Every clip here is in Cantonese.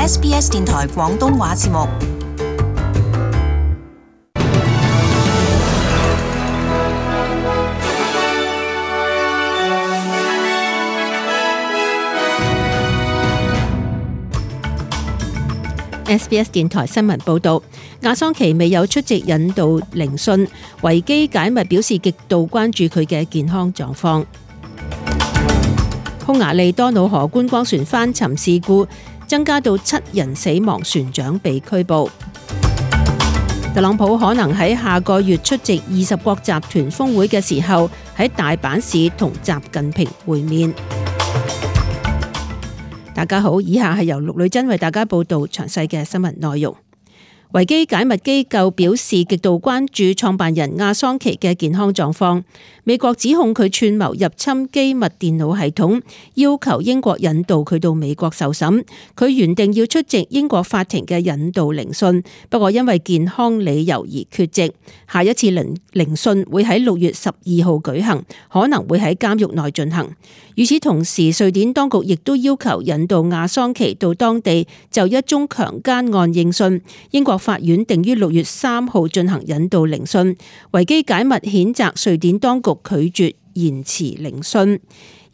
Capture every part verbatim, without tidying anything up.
S B S 電台廣東話節目。S B S 電台新聞報道，亞桑奇未有出席引渡聆訊，維基解密表示極度關注佢嘅健康狀況。匈牙利多瑙河觀光船翻沉事故增加到七人死亡，船長被拘捕。特朗普可能喺下個月出席二十國集團峰會嘅時候，喺大阪市同習近平會面。大家好，以下係由陸女珍為大家報道詳細嘅新聞內容。維基解密機構表示極度關注創辦人亞桑奇嘅健康狀況。美國指控佢串謀入侵機密電腦系統，要求英國引渡佢到美國受審。佢原定要出席英國法庭嘅引渡聆訊，不過因為健康理由而缺席。下一次聆聆訊會喺六月十二號舉行，可能會喺監獄內進行。與此同時，瑞典當局亦都要求引渡亞桑奇到當地就一宗強姦案應訊。英國法院定於六月三號進行引渡聆訊。維基解密譴責瑞典當局拒絕延遲聆訊。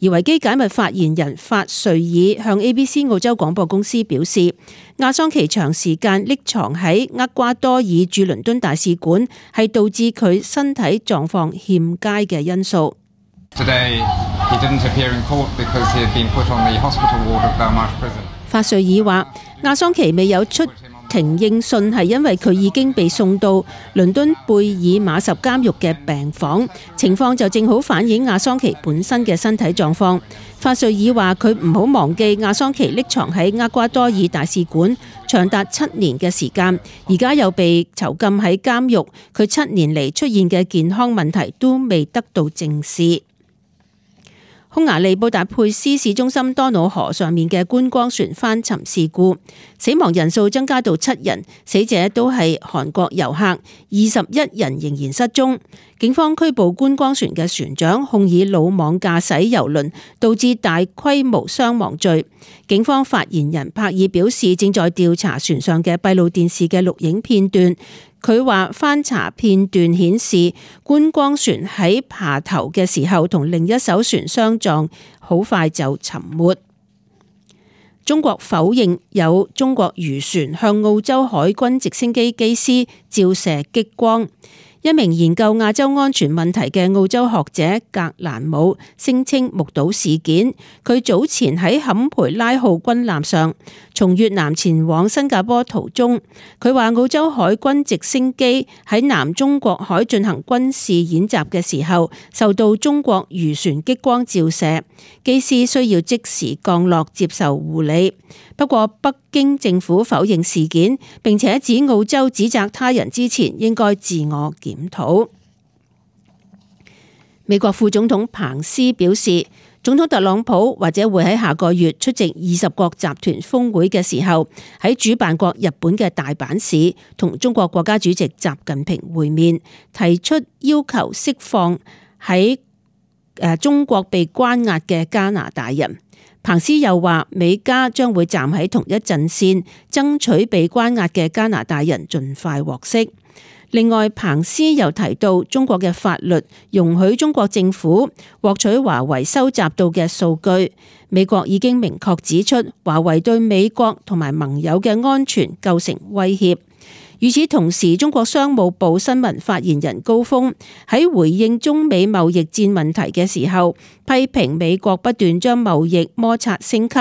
而維基解密發言人法瑞爾向 A B C 澳洲廣播公司表示，亞桑奇長時間匿藏喺厄瓜多爾駐倫敦大使館係導致佢身體狀況欠佳嘅因素。Today, he didn't appear in court because he had been put on the hospital ward of Belmarsh Prison. 法瑞爾話，亞桑奇未有出庭應訊係因為佢已經被送到倫敦貝爾馬什監獄嘅病房，情況就正好反映亞桑奇本身嘅身體狀況。法瑞爾話佢唔好忘記亞桑奇匿藏喺厄瓜多爾大使館長達七年嘅時間，而家又被囚禁喺監獄，佢七年嚟出現嘅健康問題都未得到正視。匈牙利布達佩斯市中心多瑙河上面嘅觀光船翻沉事故，死亡人數增加到七人，死者都係韓國遊客，二十一人仍然失蹤。警方拘捕觀光船嘅船長，控以魯莽駕駛郵輪導致大規模傷亡罪。警方發言人帕爾表示，正在調查船上嘅閉路電視嘅錄影片段。佢話翻查片段顯示，觀光船喺爬頭嘅時候同另一艘船相撞，好快就沉沒。中國否認有中國漁船向澳洲海軍直升機機師照射激光。一名研究亞洲安全問題嘅澳洲學者格蘭姆聲稱目睹事件。佢早前喺坎培拉號軍艦上從越南前往新加坡途中，佢話澳洲海軍直升機喺南中國海進行軍事演習嘅時候，受到中國漁船激光照射，機師需要即時降落接受護理。不過北京政府否認事件，並且指澳洲指責他人之前應該自我檢討。美國副總統彭斯表示，總統特朗普或者會喺下個月出席二十國集團峰會嘅時候，喺主辦國日本嘅大阪市同中國國家主席習近平會面，提出要求釋放喺誒中國被關押嘅加拿大人。彭斯又話，美加將會站喺同一陣線，爭取被關押嘅加拿大人盡快獲釋。另外，彭斯又提到，中國嘅法律容許中國政府獲取華為收集到嘅數據。美國已經明確指出，華為對美國同埋盟友嘅安全構成威脅。與此同時，中國商務部新聞發言人高峰喺回應中美貿易戰問題嘅時候，批評美國不斷將貿易摩擦升級，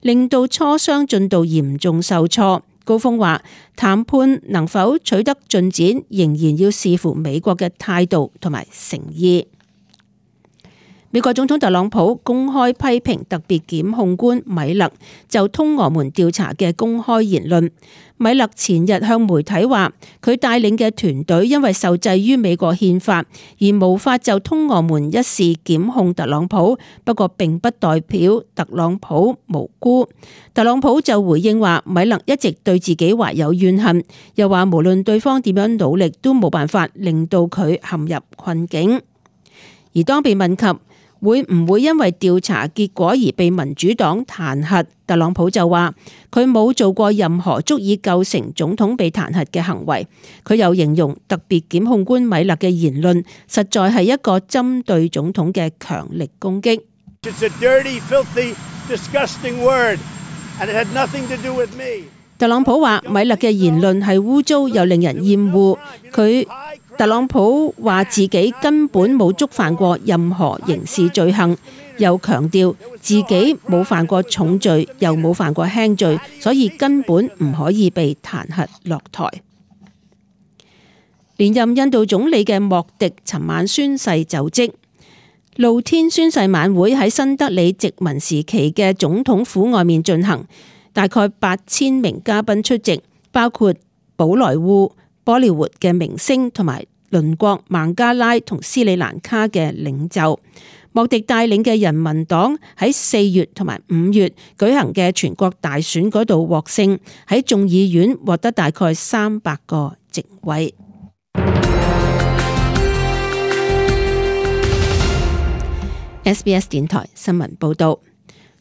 令到磋商進度嚴重受挫。高峰話，談判能否取得進展，仍然要視乎美國嘅態度同埋誠意。美國總統特朗普公開批評特別檢控官米勒就通俄門調查嘅公開言論。米勒前日向媒體話，佢帶領嘅團隊因為受制於美國憲法而無法就通俄門一事檢控特朗普，不過並不代表特朗普無辜。特朗普就回應話，米勒一直對自己懷有怨恨，又話無論對方點樣努力都冇辦法令到佢陷入困境。而當被問及會唔會因為調查結果而被民主黨彈劾？特朗普就話佢冇做過任何足以構成總統被彈劾嘅行為。佢又形容特別檢控官米勒嘅言論實在係一個針對總統嘅強力攻擊。It's a dirty, filthy, disgusting word, and it had nothing to do with me. 特朗普話米勒嘅言論係污糟又令人厭惡。佢特朗普話自己根本冇觸犯過任何刑事罪行，又強調自己冇犯過重罪，又冇犯過輕罪，所以根本唔可以被彈劾落台。連任印度總理嘅莫迪尋晚宣誓就職，露天宣誓晚會喺新德里殖民時期嘅總統府外面進行。大概八千名嘉賓出席，包括寶萊塢、波利活嘅明星同埋鄰國孟加拉同斯里蘭卡嘅領袖。莫迪帶領嘅人民黨喺四月同埋五月舉行嘅全國大選嗰度獲勝，喺眾議院獲得大概三百個席位。S B S 電台新聞報道。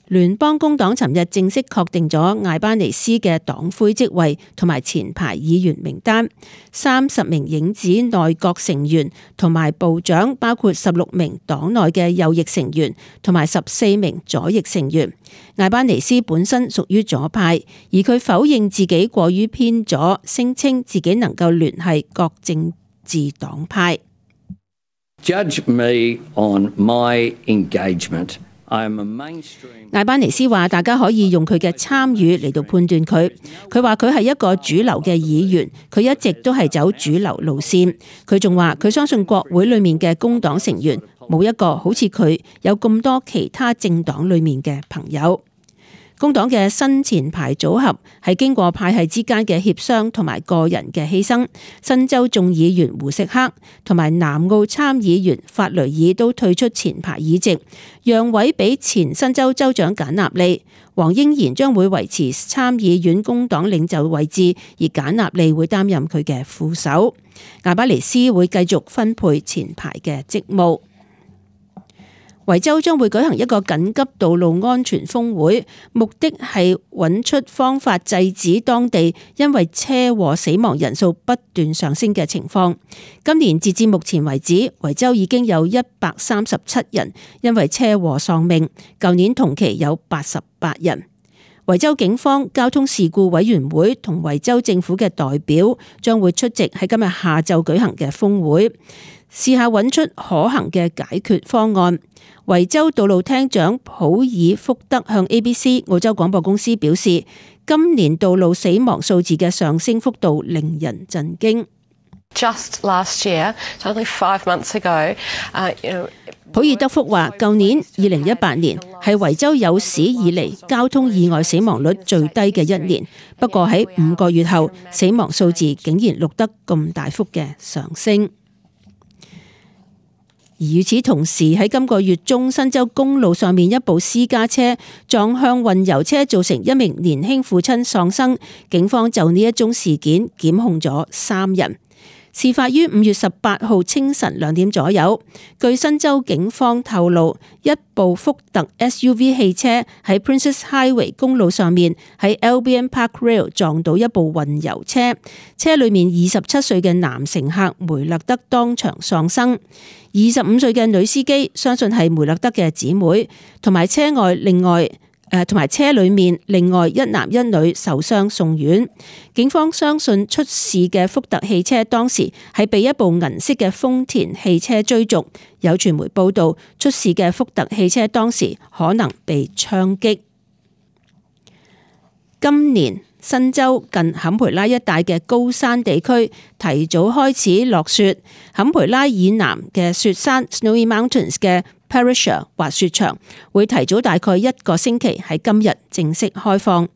聯邦工黨尋日正式確定咗艾班尼斯嘅黨魁職位同埋前排議員名單，三十名影子內閣成員同埋部長，包括十六名黨內嘅右翼成員同埋十四名左翼成員。艾班尼斯本身屬於左派，而佢否認自己過於偏左，聲稱自己能夠聯繫各政治黨派。Judge me on my engagement.艾班尼斯話：大家可以用佢嘅參與嚟到判斷佢。佢話佢係一個主流嘅議員，佢一直都係走主流路線。佢仲話佢相信國會裏面嘅工黨成員冇一個好似佢有咁多其他政黨裏面嘅朋友。工黨嘅新前排組合係經過派系之間嘅協商同埋個人嘅犧牲，新州眾議員胡錫克同埋南澳參議員法雷爾都退出前排議席，讓位俾前新州州長簡納利。黃英賢將會維持參議院工黨領袖位置，而簡納利會擔任佢嘅副手。艾巴尼斯會繼續分配前排嘅職務。維州將會舉行一個緊急道路安全峰會，目的係揾出方法制止當地因為車禍死亡人數不斷上升嘅情況。今年截至目前為止，維州已經有一百三十七人因為車禍喪命，舊年同期有八十八人。維州警方交通事故委員會同維州政府嘅代表將會出席喺今日下晝舉行嘅峰會，試下揾出可行嘅解決方案。維州道路廳長普爾福德向 A B C 澳洲廣播公司表示，今年道路死亡數字嘅上升幅度令人震驚。Just last year, only five months ago, uh, you know, 普爾德福話，舊年二零一八年係維州有史以嚟交通意外死亡率最低嘅一年，不過喺五個月後，死亡數字竟然錄得咁大幅嘅上升。而與此同時，喺今個月中，新州公路上面一部私家車撞向運油車，造成一名年輕父親喪生。警方就呢一宗事件檢控咗三人。事發於五月十八號清晨兩點左右。據新州警方透露，一部福特 S U V 汽車喺 Princess Highway 公路上面喺 Albion Park Rail 撞到一部運油車，車裏面二十七歲嘅男乘客梅勒德當場喪生，二十五歲嘅女司機相信係梅勒德嘅姊妹，同埋車外另外誒，同埋車裏面另外一男一女受傷送院。警方相信出事嘅福特汽車當時係被一部銀色嘅豐田汽車追逐。有傳媒報道，出事嘅福特汽車當時可能被槍擊。今年新州近坎培拉一帶嘅高山地區提早開始落雪，坎培拉以南嘅雪山 Snowy Mountains 嘅Perisher 滑雪場會提早大概一個星期喺今日正式開放。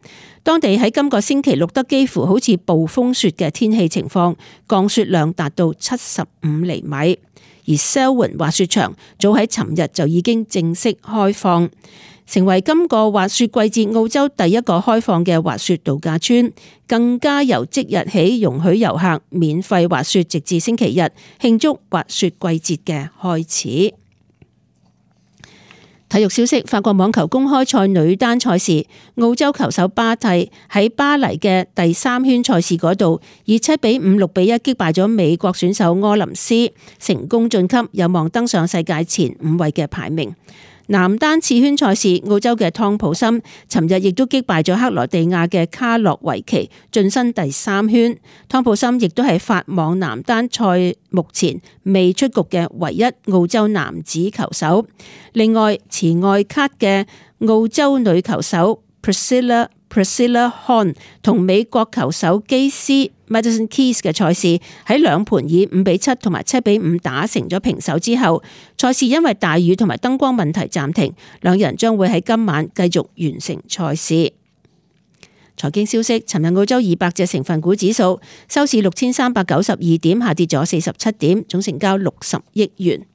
當地喺今個星期錄得幾乎好似暴風雪嘅天氣情況，降雪量達到七十五厘米。而 Selwyn 滑雪場早喺尋日就已經正式開放，成為今個滑雪季節澳洲第一個開放嘅滑雪度假村，更加由即日起容許遊客免費滑雪，直至星期日，慶祝滑雪季節嘅開始。體育消息：法國網球公開賽女單賽事，澳洲球手巴蒂喺巴黎嘅第三圈賽事嗰度，以七比五、六比一擊敗咗美國選手柯林斯，成功晉級，有望登上世界前五位嘅排名。男單次圈賽事，澳洲嘅湯普森尋日亦都擊敗咗克羅地亞嘅卡洛維奇，晉身第三圈。湯普森亦都係法網男單賽目前未出局嘅唯一澳洲男子球手。另外，持外卡嘅澳洲女球手 Priscilla Priscilla Hon 同美國球手基斯 Madison Keys 嘅賽事喺兩盤以五比七同埋七比五打成咗平手之後，賽事因為大雨同埋燈光問題暫停，兩人將會喺今晚繼續完成賽事。財經消息：尋日澳洲二百隻成分股指數收市六千三百九十二點，下跌咗四十七點，總成交六十億元。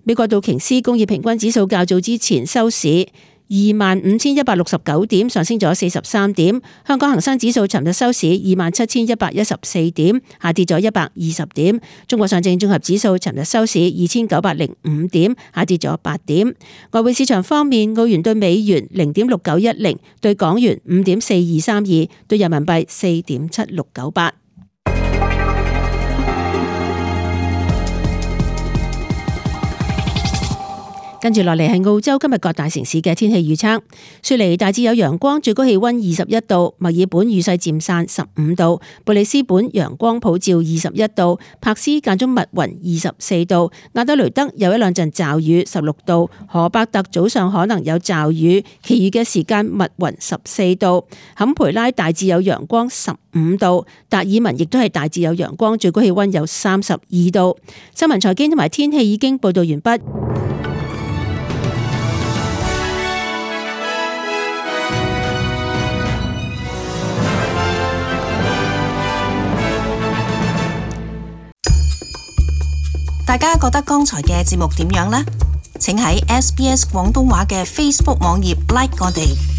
美國道瓊斯工業平均指數較早之前收市二萬五千一百六十九點，上升咗四十三點。香港恒生指數尋日收市二萬七千一百一十四點，下跌咗一百二十點。中國上證綜合指數尋日收市二千九百零五點，下跌咗八點。外匯市場方面，澳元對美元零點六九一零，對港元五點四二三二，對人民幣四點七六九八。跟住落嚟係澳洲今日各大城市嘅天氣預測。雪梨大致有陽光，最高氣溫二十一度；墨爾本雨勢漸散十五度；布里斯本陽光普照二十一度；柏斯間中密雲二十四度；亞德雷德有一兩陣驟雨十六度；荷伯特早上可能有驟雨，其餘嘅時間密雲十四度；坎培拉大致有陽光十五度；達爾文亦都係大致有陽光，最高氣溫有三十二度。新聞財經同埋天氣已經報道完畢。大家覺得剛才嘅節目點樣呢？請喺 S B S 廣東話嘅 Facebook 網頁 like 我哋。